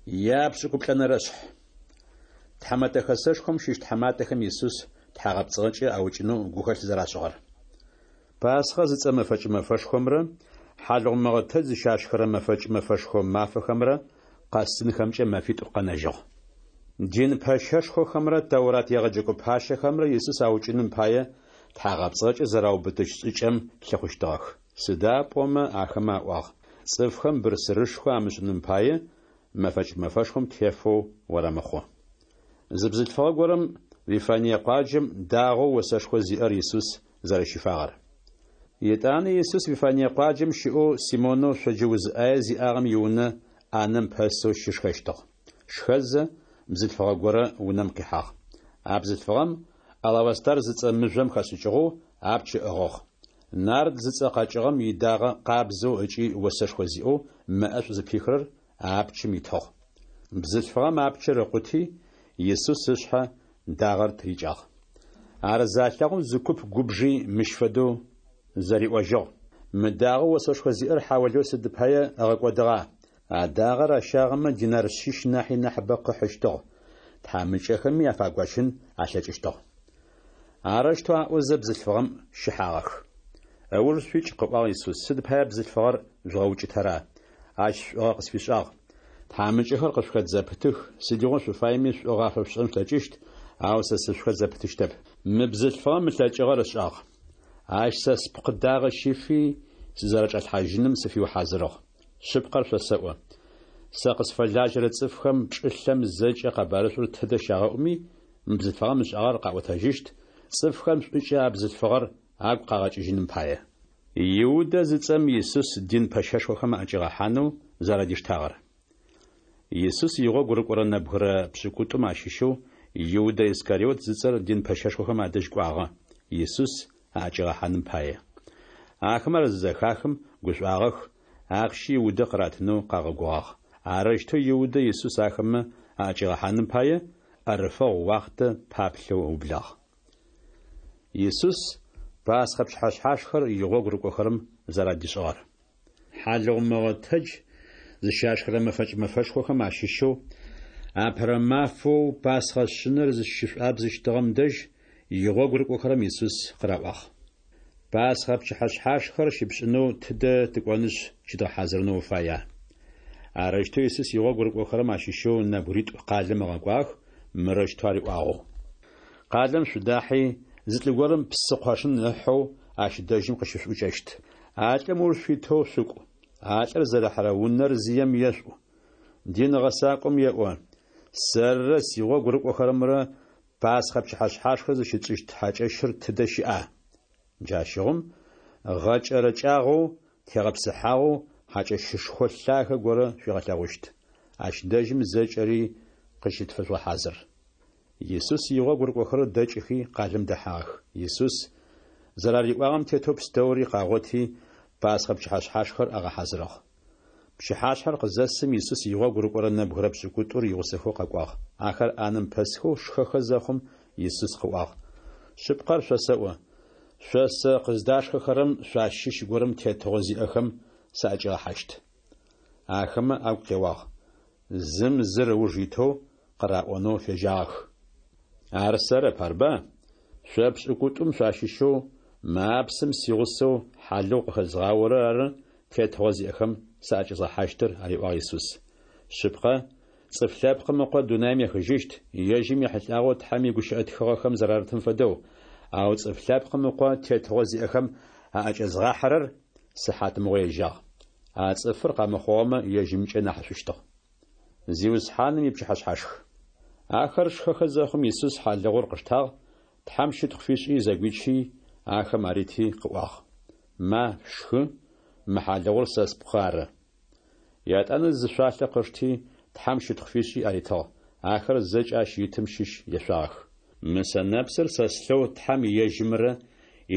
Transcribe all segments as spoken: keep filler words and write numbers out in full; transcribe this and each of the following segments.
Япшӏыкӏуплӏэнэрэ шъхь. Тхьэмэтэ Хэсэшхом щыщ тхьаматэхэм Исус тхьагъэпцӏыгъэкӏэ аукӏынэу гухэлъ зэрашӏыгъэр. Пасхъэ зыцӏэ мэфэкӏ мэфэшхомрэ хьалыгъу мыгъэтэдж зыщашхырэ мэфэкӏ мэфэшхо мафэхэмрэ къэсынхэмкӏэ мэфитӏу къэнэжьыгъ. Дин пэщэшхохэмрэ Тэурат егъэджэкӏо пащэхэмрэ Исус аукӏыным пае тхьагъэпцӏыгъэкӏэ зэраубытыщт шӏыкӏэм лъыхъущтыгъэх. Сыда пӏомэ ахэмэ аӏуагъ: «Цӏыфхэм бырсырышхо амышӏыным пае, мэфэкӏ мэфэшхом тефэу орэмыхъу». Зы бзылъфыгъэ горэм Вифание къуаджэм дагъоу осэшхо зиӏэр Исус зэрэщифагъэр. Етӏанэ Исус Вифание къуаджэм щыӏэу Симонэу шъоджэ уз ӏае зиӏагъэм иунэ ӏанэм пэсэу щышхэщтыгъ. Шхэзэ, бзылъфыгъэ горэ унэм къихьагъ. А бзылъфыгъэм алавастар зыцӏэ мыжъом хэшӏыкӏыгъэу апч ыӏыгъыгъ. Нард зыцӏэ къэкӏыгъэм идагъэ къабзэу ыкӏи осэшхо зиӏэу мэ ӏэшӏу зыпихырэр а апчым итыгъ. Бзылъфыгъэм апчыр ыкъути, Исус ышъхьэ дагъэр тырикӏагъ. Ар залъэгъум зы куп губжи мыщ фэдэу зэриӏожьыгъ: Мы дагъэу осэшхо зиӏэр хьаулыеу сыд пае ыгъэкӏодыгъа? А дагъэр ащагъэмэ динар шъищ нахьи нахьыбэ къыхьыщтыгъ, тхьамыкӏэхэми афагощын алъэкӏыщтыгъ. Арэущтэу аӏозэ бзылъфыгъэм щыхьагъэх. Ыуж шъуикӏ, къыӏуагъ Исус, сыд пае бзылъфыгъэр жъугъэукӏытэра? Ащ шӏугъэ къысфишӏагъ. Тхьамыкӏэхэр къышъухэт зэпытых, сыдигъо шъуфаеми шӏугъэ афэшъушӏэн шъулъэкӏыщт, ау сэ сышъухэт зэпытыщтэп. Мы бзылъфыгъэм ылъэкӏыгъэр ышӏагъ. Ащ сэ спкъы дагъэ щифи, сызэрэчӏалъхьажьыным сыфиухьазырыгъ. Шъыпкъэр шъосэӏо: сэ къысфэлажьэрэ цӏыфхэм чӏылъэм зэкӏэ къэбарышӏур тыдэ щагъэӏуми, мы бзылъфыгъэм ышӏагъэр къаӏотэжьыщт, цӏыфхэм шӏукӏэ а бзылъфыгъэр агу къагъэкӏыжьыным пае. Иудэ зыцӏэм Исус дин пэщэшхохэм аӏэкӏигъэхьанэу зэрадиштагъэр. Исус игъогу рыкӏорэ нэбгырэ пшӏыкӏутӏум ащыщэу Иудэ Искариот зыцӏэр дин пэщэшхохэм адэжь кӏуагъэ, Исус аӏэкӏигъэхьаным пае. Ахэмэ ар зызэхахым гушӏуагъэх, ахъщи Иудэ къыратынэу къагъэгугъагъ. Арэущтэу Иудэ Исус ахэмэ аӏэкӏигъэхьаным пае ӏэрыфэгъу уахътэ паплъэу ыублагъ. Исус Пасхъэ пчыхьэшъхьашхэр игъогу рыкӏохэрэм зэрадишӏыгъэр. Хьалыгъу мыгъэтэдж зыщашхырэ мэфэкӏ мэфэшхохэм ащыщэу апэрэ мафэу Пасхъэ шъынэр зыщышӏуабзыщтыгъэм дэжь игъогу рыкӏохэрэм Исус къыраӏуагъ: Пасхъэ пчыхьэшъхьашхэр щыпшӏынэу тыдэ тыкӏонышъ щыдгъэхьазырынэу уфая? Арэущтэу Исус игъогу рыкӏохэрэм ащыщэу нэбгыритӏу къалэм ыгъэкӏуагъэх, мырэущтэу ариӏуагъэу: Къалэм шъудахьи, зы лӏы горэм псы къошын ыхьэу ащ дэжьым къыщышъуӏукӏэщт. А лӏым ыуж шъуитэу шъукӏу. А лӏыр зэрыхьэрэ унэр зием ешъуӏу. Дин гъэсакӏом еӏо: Сэрырэ сигъогу рыкӏохэрэмрэ Пасхъэ пчыхьэшъхьашхэр зыщытшӏыщт хьакӏэщыр тыдэ щыӏа? Джащыгъум гъэкӏэрэкӏагъэу, тегъэпсыхьагъэу хьакӏэщышхо лъагэ горэ шъуигъэлъэгъущт. Ащ дэжьым зэкӏэри къыщытфэжъугъэхьазыр. Исус игъогу рыкӏохэрэр дэкӏыхи къалэм дэхьагъэх. Исус зэрариӏуагъэм тетэу пстэури къагъоти, Пасхъэ пчыхьэшъхьашхэр агъэхьазырыгъ. Пчыхьашъхьэр къызэсым Исус игъогу рыкӏорэ нэбгырэ пшӏыкӏутӏур игъусэхэу къэкӏуагъ. Ахэр ӏанэм пэсхэу шхэхэ зэхъум Исус къыӏуагъ: Шъыпкъэр шъосэӏо, шъо сэ къыздашхэхэрэм шъуащыщ горэм тетыгъо зиӏэхэм саӏэкӏигъэхьащт. Ахэмэ агу къеуагъ. Зым зыр ыуж итэу къыраӏонэу фежьагъэх: Ар сэрэп, арба? Шъо пшӏыкӏутӏум шъуащыщэу мы апсым сигъусэу хьалыгъу къыхэзгъаорэр ары тетыгъо зиӏэхэм саӏэкӏэзгъэхьащтыр, ариӏуагъ Исус. Шъыпкъэ, Цӏыф Лъэпкъым Ыкъо дунаим ехыжьыщт, ежьым ехьылӏагъэу Тхьэм игущыӏэ тхыгъэхэм зэрарытым фэдэу, ау Цӏыф Лъэпкъым Ыкъо тетыгъо зиӏэхэм аӏэкӏэзгъахьэрэр сыхьатмыгъо ежьагъ. А цӏыфыр къэмыхъугъэмэ ежьымкӏэ нахьышӏущтыгъ. Зиусхьаным ипчыхьэшъхьашх. Ахэр шхэхэ зэхъум Исус хьалыгъур къыштагъ, Тхьэм щытхъу фишӏи зэгуичи, ахэм арити къыӏуагъ: Ма, шъушхы, мы хьалыгъур сэ спкъы ары. Етӏанэ зы шъуалъэ къышти, Тхьэм щытхъу фишӏи аритыгъ. Ахэр зэкӏэ ащ итым щыщ ешъуагъэх. Мы сэнэпсыр сэ слъэу Тхьэм ежьымрэ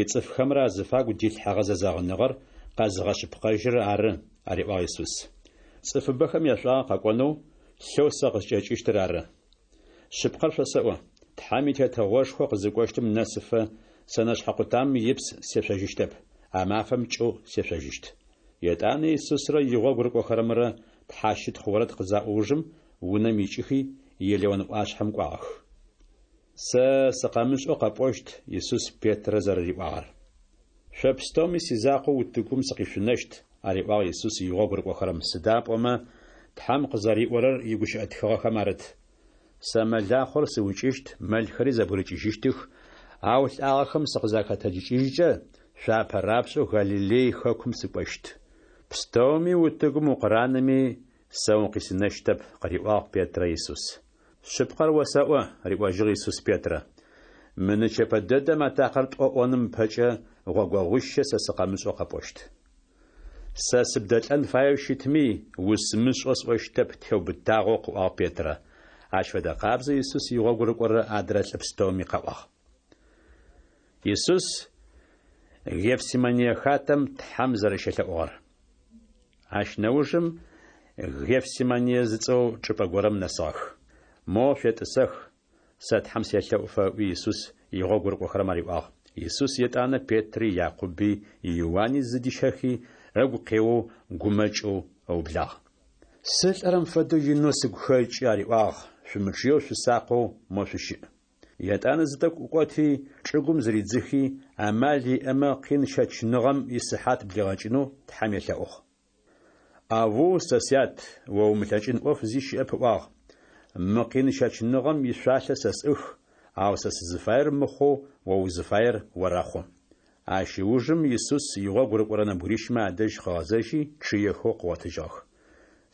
ицӏыфхэмрэ азыфагу дилъхьэгъэ зэзэгъыныгъэр къэзыгъэшъыпкъэжьырэр ары, ариӏуагъ Исус. Цӏыфыбэхэм яшӏуагъэ къэкӏонэу лъэу сэ къыскӏэкӏыщтыр ары. Шъыпкъэр шъосэӏо, Тхьэм и Тетыгъошхо къызыкӏощтым нэсыфэ сэнэшъхьэ къутамэм ипс сешъожьыщтэп, а мафэм кӏэу сешъожьыщт. Етӏанэ Исусрэ игъогу рыкӏохэрэмрэ тхьащытхъу орэд къызаӏо ужым унэм икӏыхи, Елеон ӏуашъхьэм кӏуагъэх. Сэ сыкъэмышӏэу къэпӏощт, Исус Петрэ зэрэриӏуагъэр. Шъо пстэуми сизакъоу утыгум сыкъишъунэщт, ариӏуагъ Исус игъогу рыкӏохэрэм, сыда пӏомэ Тхьэм къызэриӏорэр игущыӏэ тхыгъэхэм арыт: Сэ мэлахъор сыукӏыщт, мэлхэри зэбгырыкӏыжьыщтых, ау лӏагъэхэм сыкъызахэтэджыкӏыжькӏэ, шъуапэ рапшӏэу Галилей хэкум сыкӏощт. Пстэуми утыгум укъыранэми, сэ укъисынэщтэп, къыриӏуагъ Петрэ Исус. Шъыпкъэр осэӏо, риӏожьыгъ Исус Петрэ. Мы нычэпэ дэдэм атакъэр тӏо ӏоным ыпэкӏэ гъогогъуищэ сэ сыкъэмышӏэу къэпӏощт. Сэ сыбдэлӏэн фаеу щытми, усымышӏэу сӏощтэп, теубытагъэу къыӏуагъ Петрэ. Ащ фэдэ къабзэу Исус игъогу рыкӏорэ адрэ лӏы пстэуми къаӏуагъ. Исус Гефсимание хатэм Тхьэм зэрэщелъэӏугъэр. Ащ нэужым Гефсимание зыцӏэу чӏыпӏэ горэм нэсыгъэх. Мо шъуетӏысэх, сэ Тхьэм селъэӏуфэ, ыӏуи Исус игъогу рыкӏохэрэм ариӏуагъ. Исус етӏанэ Петри, Якъуби, Иуани зыдищэхи, ыгу къеоу гумэкӏэу ыублагъ. Сылӏэрэм фэдэу инэу сыгу хэкӏы, ариӏуагъ, шъумычъыеу шъусакъэу мо шъущыӏ. Етӏанэ зы тӏэкӏу ӏукӏоти, чӏыгум зыридзыхи, амал иӏэмэ къин щэчыныгъэм исыхьат блигъэкӏынэу Тхьэм елъэӏугъ. Аву, сэ сят, о умылъэкӏын ӏоф зи щыӏэп ыӏуагъ. Мы къин щэчыныгъэм ишъуалъэ сэ сӏых, ау сэ сызыфаер мыхъоу о узыфаер орэхъу. Ащ ыужым Исус игъогу рыкӏорэ нэбгырищмэ адэжь къыгъэзэжьи, чъыехэу къыгъотыжьыгъэх.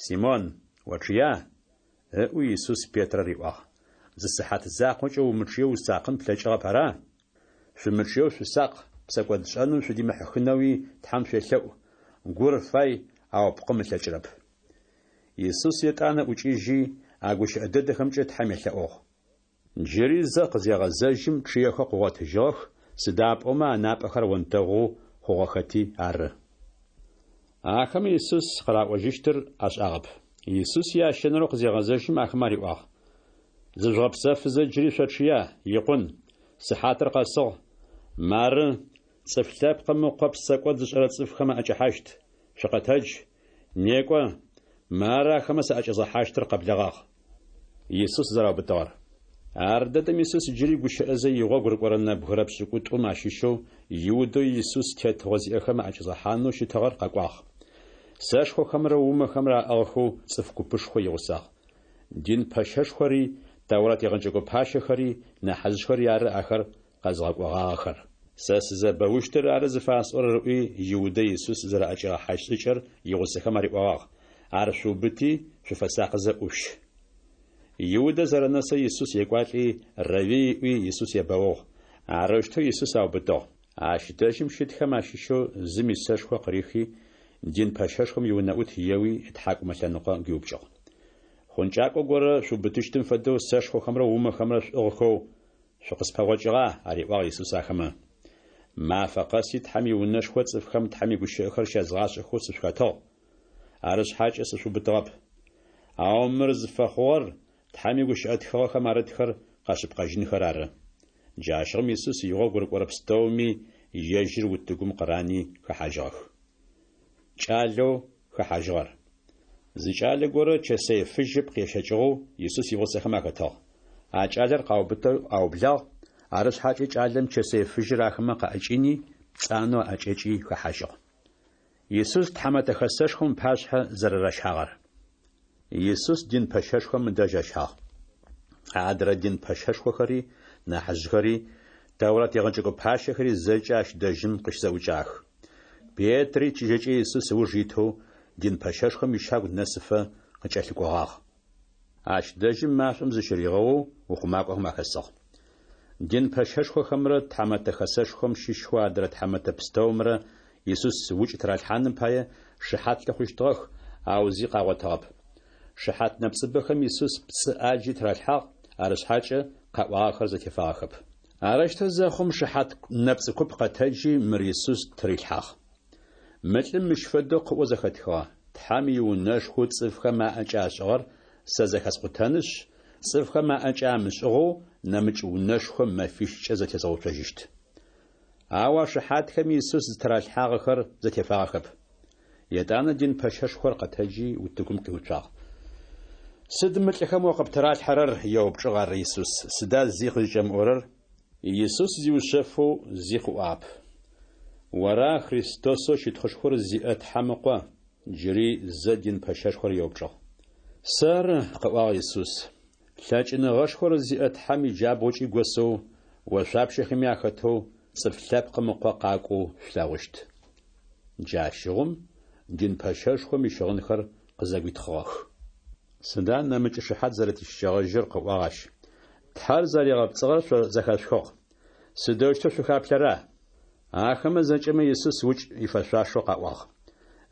Симон, очъыя? Ыӏуи Исус Петрэ риӏуагъ. Зы сыхьат закъокӏэ умычъыеу усакъын плъэкӏыгъэп, ара? Шъумычъыеу шъусакъ, псэкӏодшӏэным шъудимыхьыхынэуи Тхьэм шъуелъэӏу. Гур фай, ау пкъым ылъэкӏырэп. Исус етӏанэ ӏукӏыжьи, а гущыӏэ дэдэхэмкӏэ Тхьэм елъэӏугъ. Джыри зэ къызегъэзэжьым чъыехэу къыгъотыжьыгъэх, сыда пӏомэ анапӏэхэр онтэгъоу хъугъэхэти ары. Ахэмэ Исус къыраӏожьыщтыр ашӏагъэп. Исус ящэнэрэу къызегъэзэжьым ахэмэ ариӏуагъ: Зыжъугъэпсэфызэ джыри шъочъыя, икъун, сыхьатыр къэсыгъ. Мары, цӏыф лъэпкъым ыкъо псэкӏод зышӏэрэ цӏыфхэм аӏэкӏэхьащт. Шъукъэтэдж, некӏо, мары ахэмэ саӏэкӏэзгъэхьащтыр къэблэгъагъ. Исус зэраубытыгъэр. Ар дэдэм Исус джыри гущыӏэзэ игъогу рыкӏорэ нэбгырэ пшӏыкӏутӏум ащыщэу Иудэу Исус тетыгъо зиӏэхэм аӏэкӏэзгъэхьанэу щытыгъэр къэкӏуагъ. Сэшхохэмрэ умэхэмрэ аӏыгъхэу цӏыф купышхо игъусагъ. Дин пэщэшхори, Тэурат егъэджэкӏо пащэхэри, нахьыжъхэри ары ахэр къэзгъэкӏогъагъэхэр. Сэ сызэбэущтыр ары зыфасӏорэр, ыӏуи, Иудэ Исус зэраӏэкӏигъэхьащт шӏыкӏэр игъусэхэм ариӏогъагъ: Ар шъуубыти, шъуфэсакъызэ ӏушъущ. Иудэ зэрэнэсэу Исус екӏуалӏи, Равви ыӏуи, Исус ебэугъ. Арэущтэу Исус аубытыгъ. Ащ дэжьым щытхэм ащыщэу зым исэшхо къырихи, дин пэщэшхом иунэӏут еуи ытхьакӏумэ лъэныкъо гуиупкӏыгъ. Хъункӏакӏо горэ шъуубытыщтым фэдэу сэшхохэмрэ умэхэмрэ шъуӏыгъхэу шъукъыспэгъокӏыгъа? Ариӏуагъ Исус ахэмэ. Мафэ къэси Тхьэм иунэшхо цӏыфхэм Тхьэм игущыӏэхэр щязгъашӏэхэу сышъухэтыгъ. Арышъхьакӏэ сышъуубытыгъэп. Ау мыр зыфэхъугъэр Тхьэм игущыӏэ тхыгъэхэм арытхэр къэшъыпкъэжьынхэр ары. Джащыгъум Исус игъогу рыкӏорэ пстэуми ежьыр утыгум къырани хэхьажьыгъэх. Кӏалэу хэхьажьыгъэр. Зы кӏалэ горэ чэсэй фыжь ыпкъ ещэкӏыгъэу Исус игъусэхэм ахэтыгъ. А кӏалэр къаубытэу аублагъ, арышъхьакӏэ кӏалэм чэсэй фыжьыр ахэмэ къаӏэкӏини, пцӏанэу аӏэкӏэкӏи хэхьажьыгъ. Исус тхьамэтэ хэсэшхом ыпашъхьэ зэрэращагъэр. Исус дин пэщэшхом ыдэжь ащагъ. Адрэ дин пэщэшхохэри, нахьыжъхэри, Тэурат егъэджэкӏо пащэхэри зэкӏэ ащ дэжьым къыщызэӏукӏагъэх. Петри чыжьэкӏэ Исус ыуж итэу дин пэщэшхом ищагу нэсыфэ къыкӏэлъыкӏогъагъ. Ащ дэжьым машӏом зыщыригъэоу ухъумакӏохэм ахэсыгъ. Дин пэщэшхохэмрэ тхьамэтэ хэсэшхом щыщхэу адрэ тхьамэтэ пстэумрэ Исус укӏ тыралъхьаным пае шыхьат лъыхъущтыгъэх, ау зи къагъотыгъэп. Шыхьат нэпцӏыбэхэм Исус пцӏы ӏаджи тыралъхьагъ, арышъхьакӏэ къаӏуагъэхэр зэтефагъэхэп. Арэущтэу зэхъум шыхьат нэпцӏы куп къэтэджи мыр Исус тырилъхьагъ. Мы лӏым мыщ фэдэу къыӏоу зэхэтхыгъэ: Тхьэм иунэшхоу цӏыфхэм аӏэкӏэ ашӏыгъэр сэ зэхэскъутэнышъ, цӏыфхэм аӏэкӏэ амышӏыгъэу нэмыкӏ унэшхо мэфищкӏэ зэтезгъэуцожьыщт. Ау а шыхьатхэми Исус зытыралъхьагъэхэр зэтефагъэхэп. Етӏанэ дин пэщэшхор къэтэджи утыгум къиуцуагъ. Сыд мы лӏыхэм о къыптыралъхьэрэр? еупчӏыгъ ар Исус. Сыда зи къызкӏэмыӏорэр? Исус зиушъэфэу зи къыӏуагъэп. Ора Христосэу щытхъушхор зиӏэ Тхьэм Ыкъо? Джыри зэ дин пэщэшхор еупчӏыгъ. Сэры, къыӏуагъ Исус. Лъэкӏыныгъэшхор зиӏэ Тхьэм иджабгъукӏи госэу, ошъуапщэхэми ахэтэу Цӏыф Лъэпкъым Ыкъо къакӏоу шъулъэгъущт. Джащыгъум дин пэщэшхом ищыгъынхэр къызэгуитхъыгъэх. Сыда нэмыкӏ шыхьат зэрэтищыкӏэгъэжьыр? къыӏуагъ ащ. Тхьэр зэригъэпцӏыгъэр шъо зэхэшъухыгъ. Сыдэущтэу шъухаплъэра? Ахэмэ зэкӏэмэ Исус укӏ ифэшъуашэу къаӏуагъ.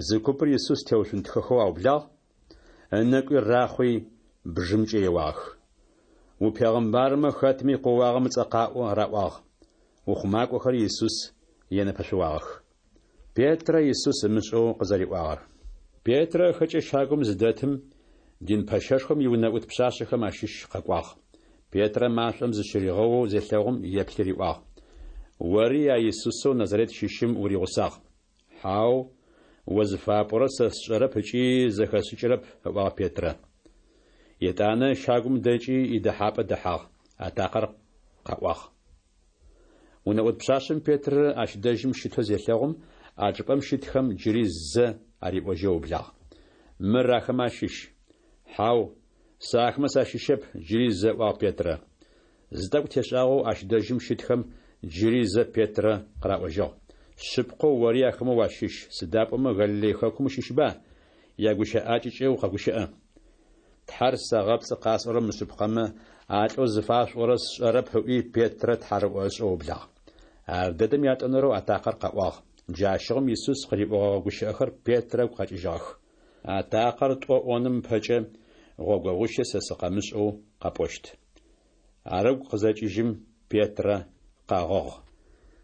Зы купыр Исус теушъунтхэхэу аублагъ, ынэкӏуи рахъуи, бжымкӏэ еуагъэх. Упегъымбармэ, хэтми къоуагъэм ыцӏэ къаӏо, раӏуагъ. Ухъумакӏохэри Исус енэпэшъуагъэх. Петрэ Исус ымышӏэу къызэриӏуагъэр. Петрэ ыхэкӏэ щагум зыдэтым, дин пэщэшхом иунэӏут пшъашъэхэм ащыщ къэкӏуагъ. Петрэ машӏом зыщыригъэоу зелъэгъум, еплъи риӏуагъ: Ори а Исусэу Назарет щыщым уригъусагъ. Хьау, о зыфапӏорэр сэ сшӏэрэп ыкӏи зэхэсшӏыкӏырэп, ыӏуагъ Петрэ. Етӏанэ щагум дэкӏи идэхьапӏэ дэхьагъ. Атакъэр къэӏуагъ. Унэӏут пшъашъэм Петрэ ащ дэжьым щытэу зелъэгъум, а чӏыпӏэм щытхэм джыри зэ ариӏожьэу ыублагъ: Мыр ахэмэ ащыщ. Хьау, сэ ахэмэ сащыщэп, джыри зэ ыӏуагъ Петрэ. Зы тӏэкӏу тешӏагъэу ащ дэжьым щытхэм джыри зэ Петрэ къыраӏожьыгъ: Шъыпкъэу ори ахэмэ уащыщ, сыда пӏомэ Галилей хэкум ущыщба? Ягущыӏакӏэкӏэ укъэгущыӏэ. Тхьэр сэгъэпцӏы къасӏорэр мышъыпкъэмэ, а лӏэу зыфашъуӏорэр сшӏэрэп, ыӏуи Петрэ тхьарыӏо ышӏэу ыублагъ. Ардэдэм ятӏонэрэу атакъэр къэӏуагъ. Джащыгъум Исус къыриӏогъэгъэ гущыӏэхэр Петрэ ыгу къэкӏыжьыгъэх: Атакъэр тӏо ӏоным ыпэкӏэ гъогогъуищэ сэ сыкъэмышӏэу къэпӏощт. Ар ыгу къызэкӏыжьым, Петрэ къэгъыгъ.